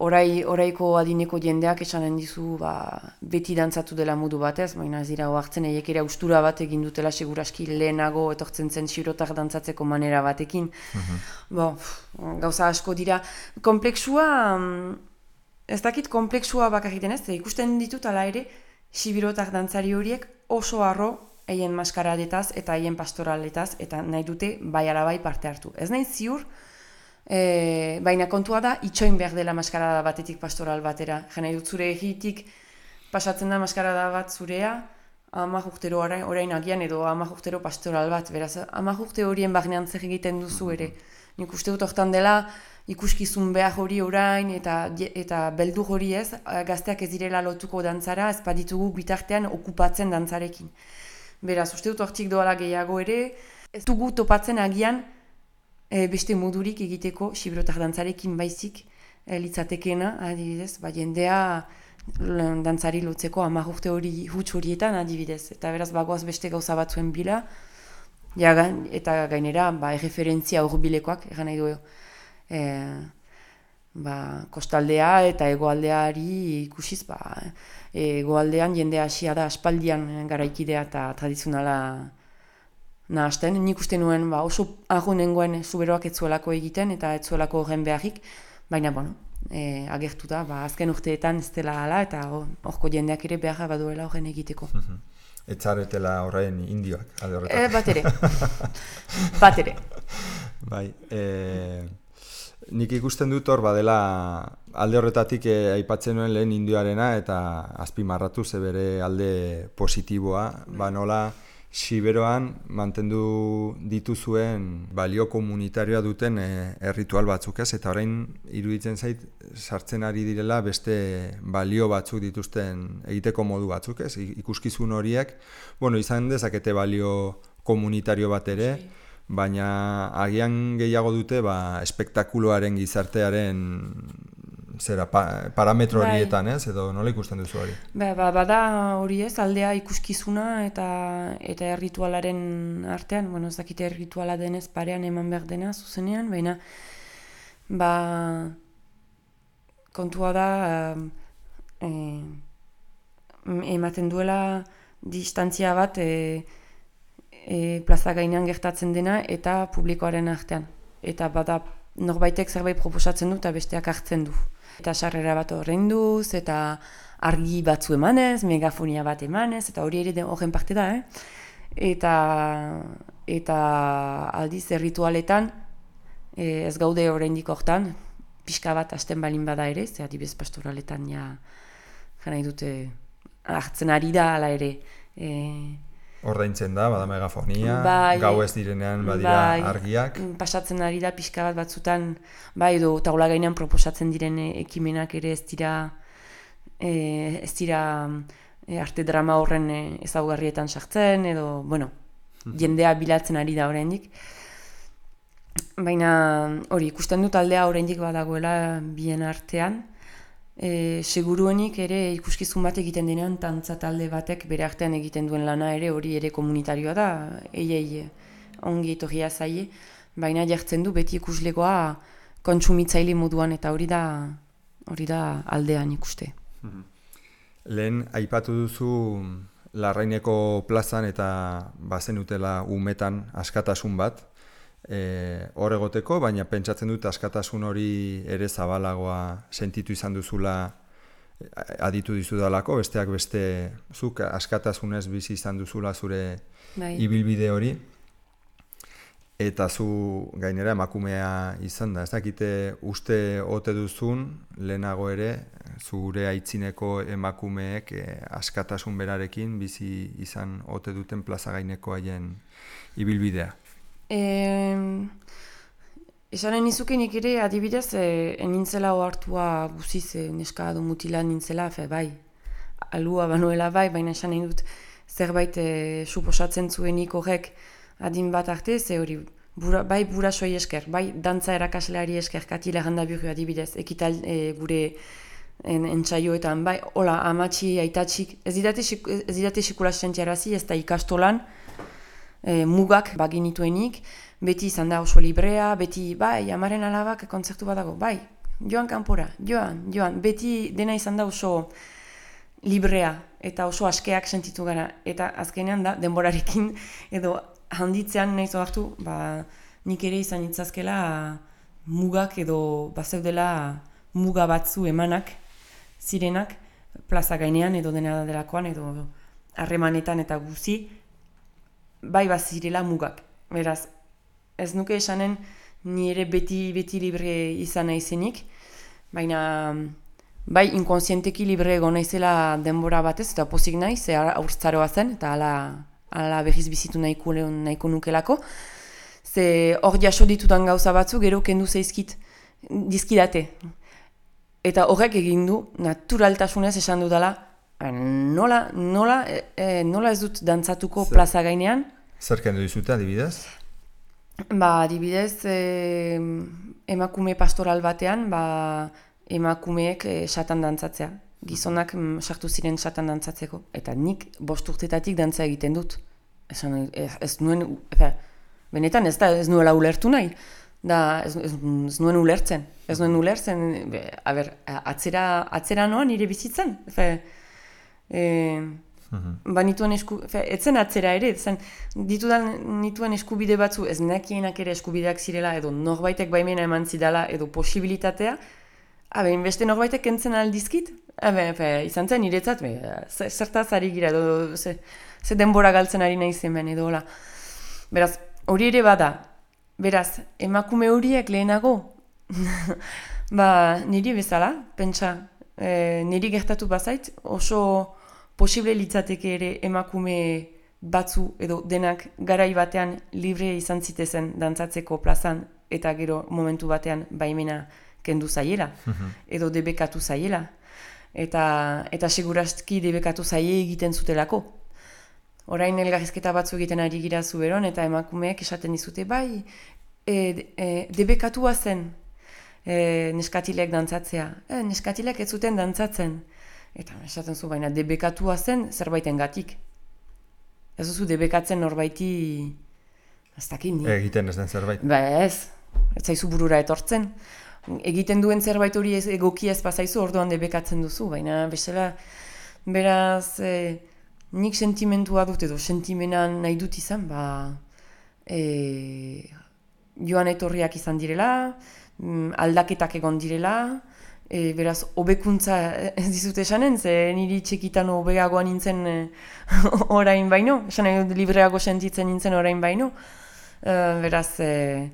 Orai, oraiko adineko jendeak esanen dizu ba, beti dantzatu dela modu batez, baina ez dira oartzen eiek ere austura bat egin dutela seguraski lehenago etortzen zen Sibirotar dantzatzeko manera batekin. Mm-hmm. Bo, gauza asko dira. Komplexua, ez dakit komplexua bakarriten ez, ikusten ditut ala ere Sibirotar dantzari horiek oso harro eien maskaradetaz eta eien pastoraletaz eta nahi dute bai ala bai parte hartu. Ez nahi ziur, E, baina kontua da, itxoin behar dela maskarada batetik pastoral batera. Jena dut zure egitik pasatzen da maskarada bat zurea, amak urtero orain, orain agian edo amak urtero pastoral bat. Beraz, amak urte horien barnean zer egiten duzu ere. Nik uste dut hortan dela ikuskizun behar hori orain eta, eta beldur hori ez, gazteak ez direla lotuko dantzara, ez baditugu bitartean okupatzen dantzarekin. Beraz, uste dut hortik doala gehiago ere, ez dugu topatzen agian E, beste modurik egiteko Sibirotar dantzarekin baizik e, litzatekena, adibidez, ba, jendea dantzari lotzeko hamar urte hori huts horietan adibidez. Eta beraz bagoaz beste gauza batzuen bila, ja, eta gainera ba, erreferentzia hurbilekoak, egan nahi du e, ba, kostaldea eta hegoaldeari ikusiz, ba, hegoaldean jendea hasia da aspaldian garaikidea eta tradizionala nahasten, nik uste nuen ba, oso argu nengoen Zuberoak etzuelako egiten eta etzuelako horren beharrik, baina bueno, e, agertu da, ba, azken urteetan ez dela hala eta horko jendeak ere beharra baduela horren egiteko. Ez zaretela horrein indioak, alde horretan. E, bat ere, bat ere. Bai, e, nik ikusten dut hor badela alde horretatik e, aipatzen nuen lehen indioarena eta azpimarratu ze bere alde positiboa, ba nola Siberoan mantendu dituzuen balio komunitarioa duten e, erritual batzuk, ez? Eta orain iruditzen zait sartzen ari direla beste balio batzuk dituzten egiteko modu batzuk, ez? Ikuskizun horiek, bueno, izan dezakete balio komunitario bat ere, baina agian gehiago dute ba, espektakuloaren gizartearen zera, pa, parametro horietan, ez? Edo nola ikusten duzu hori? Ba, ba, bada hori ez, aldea ikuskizuna eta eta erritualaren artean, bueno, ez dakite errituala denez parean eman behar dena zuzenean, baina ba, kontua da e, ematen duela distantzia bat e, e, plaza gainean gertatzen dena eta publikoaren artean. Eta bada norbaitek zerbait proposatzen du eta besteak hartzen du. Eta sarrera bat ordainduz, eta argi batzu emanez, megafonia bat emanez, eta hori ere horren parte da, eh? Eta, eta aldiz erritualetan, eh, ez gaude oraindik hortan, pixka bat hasten balin bada ere, ze adibidez pastoraletan ja, jara dute, hartzen ari da ala ere. Eh, Ordaintzen da, bada megafonia, bai, gau ez direnean badira bai, argiak. Pasatzen ari da pixka bat batzutan, bai, edo taula gainean proposatzen diren ekimenak ere ez dira, e, ez dira e, arte drama horren e, ezaugarrietan sartzen, edo, bueno, jendea bilatzen ari da oraindik. Baina hori, ikusten dut aldea oraindik badagoela bien artean, E, seguruenik ere ikuskizun bat egiten denean tantza talde batek bere artean egiten duen lana ere hori ere komunitarioa da, eiei ongi etorria zaie, baina jartzen du beti ikuslegoa kontsumitzaile moduan eta hori da hori da aldean ikuste. Lehen aipatu duzu Larraineko plazan eta bazen utela umetan askatasun bat, E, hor egoteko, baina pentsatzen dut askatasun hori ere zabalagoa sentitu izan duzula aditu dizudalako, besteak beste zuk askatasunez bizi izan duzula zure bai. Ibilbide hori, eta zu gainera emakumea izan da, ez dakite uste ote duzun lehenago ere zure aitzineko emakumeek e, askatasun berarekin bizi izan ote duten plaza gaineko haien ibilbidea. Eh, esanen izukenik ere adibidez eh, enintzela ohartua guziz eh, neska edo mutila nintzela, fe, bai, alua banuela bai, baina esan nahi dut zerbait eh, suposatzen zuenik horrek adin bat arte, ze hori bura, bai burasoi esker, bai dantza erakasleari esker, Katila Gandabiru adibidez, ekital eh, gure en, entsaioetan, bai, hola, amatxi, aitatxik, ez didate, ez didate sikula sentiarazi, ez da ikastolan, E, mugak baginituenik, beti izan da oso librea, beti, bai, amaren alabak kontzertu bat dago, bai, joan kanpora, joan, joan, beti dena izan da oso librea eta oso askeak sentitu gara, eta azkenean da, denborarekin edo handitzean nahi zohartu, ba, nik ere izan itzazkela mugak edo bazeudela muga batzu emanak, zirenak, plaza gainean edo dena delakoan edo harremanetan eta guzi, bai bazirela mugak. Beraz, ez nuke esanen ni ere beti beti libre izan naizenik, baina bai inkonsienteki libre egon naizela denbora batez, eta pozik naiz, ze aurtzaroa zen, eta ala, ala berriz bizitu nahiko, nahiko nukelako. Ze hor jaso ditutan gauza batzu, gero kendu zeizkit dizkidate. Eta horrek egin du, naturaltasunez esan dudala, nola, nola, e, nola ez dut dantzatuko Zer, plaza gainean. Zer kendu dizute adibidez? Ba, adibidez, e, emakume pastoral batean, ba, emakumeek e, satan dantzatzea. Gizonak m, sartu ziren satan dantzatzeko. Eta nik bost urtetatik dantza egiten dut. Esan, ez, ez nuen, efe, benetan ez da, ez nuela ulertu nahi. Da, ez, ez, ez nuen ulertzen. Ez nuen ulertzen, be, a ber, atzera, atzera noan nire bizitzen. Efe, E, ba nituen esku, fe, etzen atzera ere, zen, ditudan nituen eskubide batzu, ez nekienak ere eskubideak zirela, edo norbaitek baimena eman zidala, edo posibilitatea, habe, beste norbaitek kentzen aldizkit, habe, fe, izan zen niretzat, be, zertaz ari gira, edo ze, ze denbora galtzen ari nahi zen edo hola. Beraz, hori ere bada, beraz, emakume horiek lehenago, ba, niri bezala, pentsa, E, niri gertatu bazait, oso posible litzateke ere emakume batzu edo denak garai batean libre izan zitezen dantzatzeko plazan eta gero momentu batean baimena kendu zaiela, edo debekatu zaiela. Eta, eta segurazki debekatu zaie egiten zutelako. Orain elgarrizketa batzu egiten ari gira zuberon, eta emakumeek esaten dizute, bai, e, e, debekatua zen e, neskatilek dantzatzea. E, neskatilek ez zuten dantzatzen. Eta esaten zu, baina debekatua zen zerbaiten gatik. Ez duzu debekatzen norbaiti, ez dakit ni. Egiten ez den zerbait. Ba ez, ez zaizu burura etortzen. Egiten duen zerbait hori ez, egoki ez bazaizu, orduan debekatzen duzu, baina bezala, beraz, e, nik sentimentua dut edo sentimenan nahi dut izan, ba, e, joan etorriak izan direla, aldaketak egon direla, e, beraz, hobekuntza ez dizut esanen, ze niri txekitan hobeagoa nintzen e, orain baino, esan nahi dut libreago sentitzen nintzen orain baino, e, beraz, e,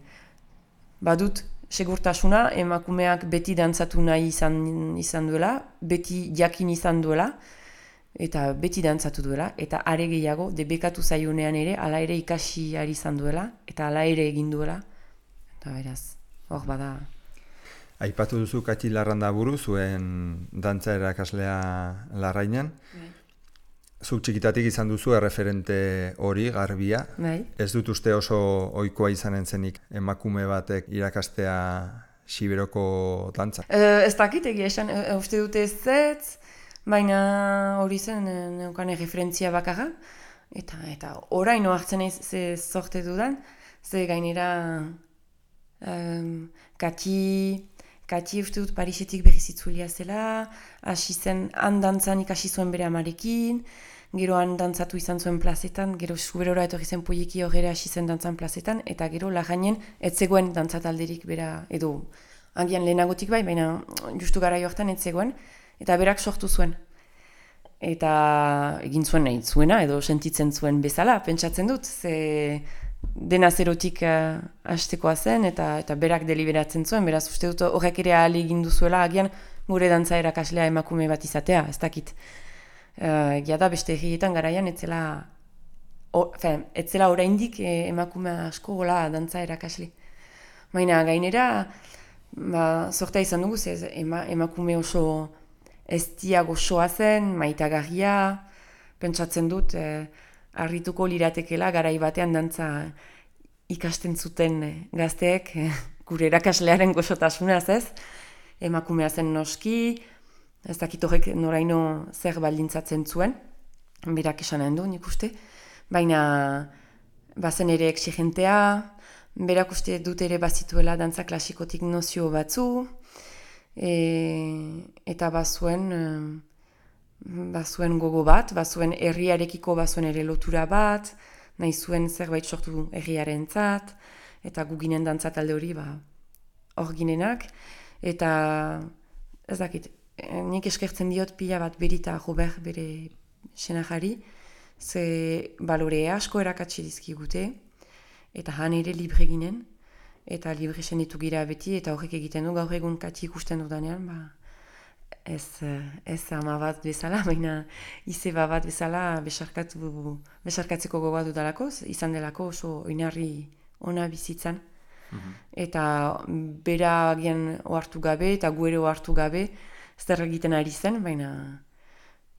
badut, segurtasuna, emakumeak beti dantzatu nahi izan, izan duela, beti jakin izan duela, eta beti dantzatu duela, eta are gehiago, debekatu zaionean ere, ala ere ikasi ari izan duela, eta ala ere egin duela, eta beraz, hor bada. Aipatu duzu Katxi Larrandaburu, zuen dantza erakaslea Larrainan. Bai. Zuk txikitatik izan duzu erreferente hori, garbia. Bai. Ez dut uste oso ohikoa izanen zenik emakume batek irakastea Siberoko dantza. E, ez dakit egia esan, e, uste dute ez zetz, baina hori zen e, neukan erreferentzia bakarra. Eta, eta orain oartzen ez ze zorte dudan, ze gainera um, Katxi... Katxi uste dut Parisetik berrizitzulia zela, hasi zen han dantzan ikasi zuen bere amarekin, gero han dantzatu izan zuen plazetan, gero Zuberora etorri zen poieki horre hasi zen dantzan plazetan, eta gero Larrainen ez zegoen dantzatalderik bera, edo agian lehenagotik bai, baina justu gara joartan ez zegoen, eta berak sortu zuen. Eta egin zuen nahi zuena, edo sentitzen zuen bezala, pentsatzen dut, ze... dena zerotik uh, hastekoa zen eta eta berak deliberatzen zuen, beraz uste dut horrek ere ahal egin duzuela agian gure dantza erakaslea emakume bat izatea, ez dakit. Uh, egia da beste herrietan garaian etzela, etzela oraindik eh, emakume asko gola dantza erakasle. Baina gainera, ba, zortea izan dugu, ez ema, emakume oso eztia goxoa zen, maitagarria, pentsatzen dut, eh, harrituko liratekela garai batean dantza ikasten zuten gazteek gure erakaslearen goxotasunaz, ez? Emakumea zen noski, ez dakit horrek noraino zer baldintzatzen zuen, berak esanen du nik uste, baina bazen ere exigentea, berak uste dut ere bazituela dantza klasikotik nozio batzu, e, eta bazuen... bazuen gogo bat, bazuen herriarekiko bazuen ere lotura bat, nahi zuen zerbait sortu herriaren zat, eta guginen dantza talde hori ba, hor ginenak, eta ez dakit, nik eskertzen diot pila bat berita Robert bere senajari, ze balore asko erakatsi dizkigute, eta han ere libre ginen, eta libre senitu gira beti, eta horrek egiten du gaur egun Katxi ikusten dudanean, ba, Ez, ez ama bat bezala, baina izeba bat bezala besarkatu, besarkatzeko gogoa dudalako, izan delako oso oinarri ona bizitzan. Mm-hmm. Eta bera agian ohartu gabe eta gu ere ohartu gabe zer egiten ari zen, baina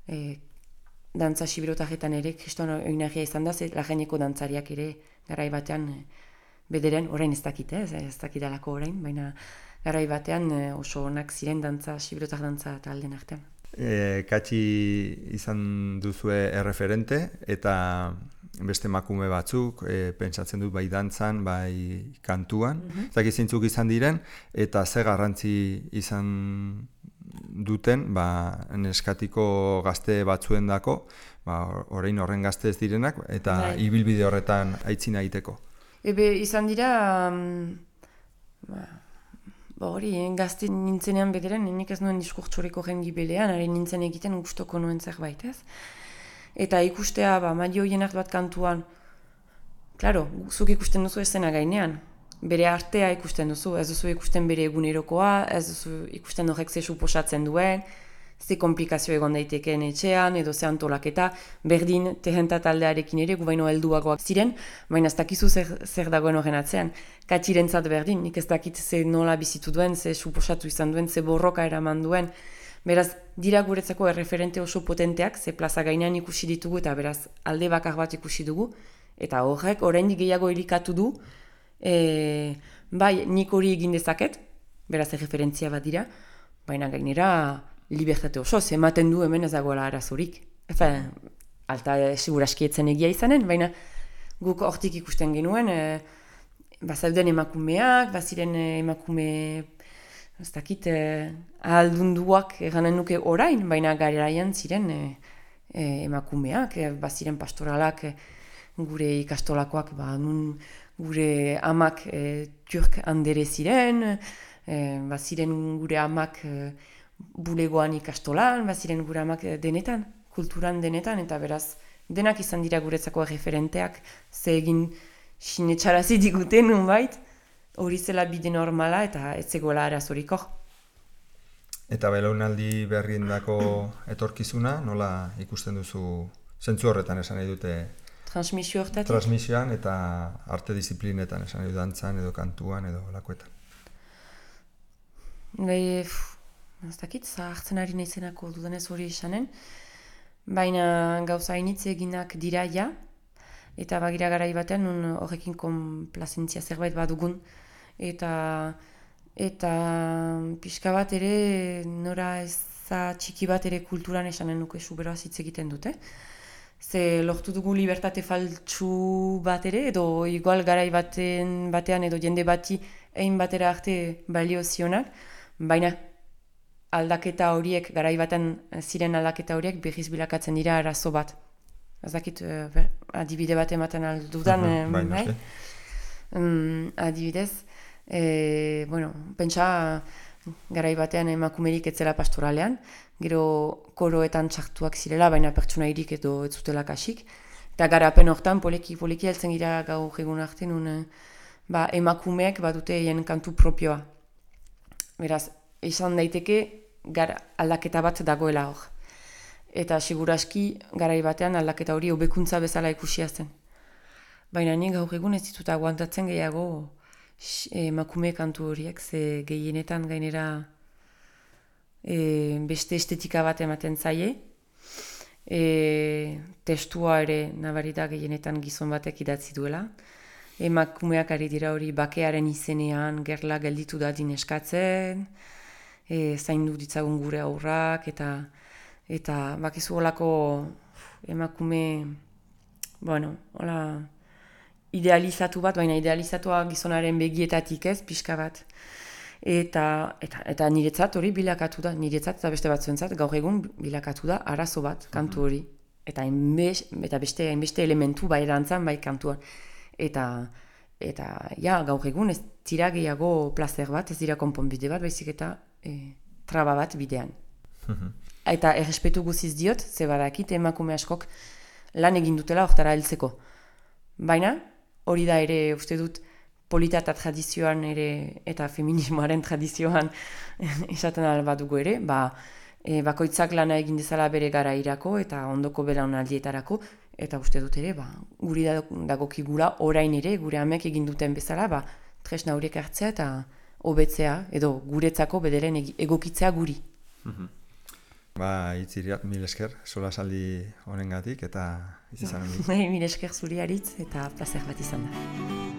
e, dantza siberotarretan ere kriston oinarria izan da, Larraineko dantzariak ere garai batean e, bederen, orain ez dakit, ez, ez dakidalako orain, baina garai batean oso onak ziren dantza, siberotar dantza taldeen artean. E, Katxi izan duzue erreferente eta beste emakume batzuk, e, pentsatzen dut bai dantzan, bai kantuan, mm-hmm. Zaki zintzuk izan diren, eta ze garrantzi izan duten, ba, neskatiko gazte batzuen dako, ba, orain horren gazte ez direnak, eta bai. Ibilbide horretan aitzina egiteko. Ebe izan dira... Um, ba, Ba hori, eh, gazte nintzenean bederen, nik ez nuen diskurtsoreko jengi belean, ari nintzen egiten gustoko nuen zerbait, ez? Eta ikustea, ba, maio hienak bat kantuan, klaro, zuk ikusten duzu ezena gainean, bere artea ikusten duzu, ez duzu ikusten bere egunerokoa, ez duzu ikusten horrek ze suposatzen duen, ze komplikazio egon daitekeen etxean, edo ze antolaketa, berdin tehenta taldearekin ere, gu baino helduagoak ziren, baina ez dakizu zer, zer dagoen horren atzean. Katxirentzat berdin, nik ez dakit ze nola bizitu duen, ze suposatu izan duen, ze borroka eraman duen. Beraz, dira guretzako erreferente oso potenteak, ze plaza gainean ikusi ditugu, eta beraz, alde bakar bat ikusi dugu, eta horrek, oraindik gehiago elikatu du, e, bai, nik hori egin dezaket, beraz, erreferentzia bat dira, baina gainera, libertate oso, ematen du hemen ez dagoela arazorik. Efe, alta seguraski etzen egia izanen, baina guk hortik ikusten genuen, e, bazauden emakumeak, baziren emakume, ez dakit, e, ahaldunduak eganen nuke orain, baina garaian ziren e, e, emakumeak, e, baziren pastoralak, e, gure ikastolakoak, ba, nun gure amak e, turk handere ziren, e, baziren gure amak e, bulegoan ikastolan, baziren gure amak denetan, kulturan denetan, eta beraz, denak izan dira guretzako referenteak, ze egin sinetxarazi diguten, nunbait, hori zela bide normala, eta ez zegoela arazorik hor. Eta belaunaldi berriendako etorkizuna, nola ikusten duzu, zentzu horretan esan nahi dute, transmisio hortatik? Transmisioan eta arte disiplinetan esan nahi dut, dantzan edo kantuan edo lakoetan. Bai, ez dakit, zahartzen ari naizenako dudanez hori esanen, baina gauza hainitze eginak dira ja, eta bagira garai batean nun horrekin konplazentzia zerbait badugun, eta eta pixka bat ere nora eza txiki bat ere kulturan esanen nuke suberoaz hitz egiten dute. Ze lortu dugu libertate faltsu bat ere, edo igual garai baten, batean edo jende bati egin batera arte balio zionak, baina aldaketa horiek, garai baten ziren aldaketa horiek berriz bilakatzen dira arazo bat. Ez dakit, uh, adibide bat ematen aldudan, uh-huh, bai, bai? Um, adibidez, e, bueno, pentsa garai batean emakumerik etzela pastoralean, gero koroetan txartuak zirela, baina pertsonairik edo ez zutela kasik. Eta garapen hortan, poleki, poleki heltzen gira gaur egun arte, nun ba, emakumeek badute hien kantu propioa. Beraz, izan daiteke, Gar, aldaketa bat dagoela hor. Eta seguraski garai batean aldaketa hori hobekuntza bezala ikusia zen. Baina nik gaur egun ez ditut aguantatzen gehiago emakume kantu horiek, ze gehienetan gainera e, beste estetika bat ematen zaie. E, testua ere nabarita gehienetan gizon batek idatzi duela. Emakumeak ari dira hori bakearen izenean gerla gelditu dadin eskatzen, E, zaindu ditzagun gure aurrak, eta eta bakizu holako emakume, bueno, hola, idealizatu bat, baina idealizatua gizonaren begietatik ez, pixka bat. Eta, eta, eta niretzat hori bilakatu da, niretzat eta beste batzuentzat gaur egun bilakatu da arazo bat, kantu hori. Eta, enbez, eta beste, enbeste elementu bai dantzan, bai kantuan. Eta, eta ja, gaur egun ez dira gehiago plazer bat, ez dira konponbide bat, baizik eta E, traba bat bidean. Mm-hmm. Eta errespetu guziz diot, ze badakit emakume askok lan egin dutela hortara heltzeko. Baina, hori da ere uste dut polita eta tradizioan ere, eta feminismoaren tradizioan esaten albadugu ere, ba, e, bakoitzak lana egin dezala bere gara irako eta ondoko belaunaldietarako, eta uste dut ere, ba, guri dagokigula orain ere, gure amek egin duten bezala, ba, tresna horiek hartzea eta hobetzea, edo guretzako bederen egokitzea guri. Mm-hmm. Ba, itziriat, mil esker, sola saldi honengatik, eta izan hori. Mil esker zuri aritz, eta plazer bat izan da.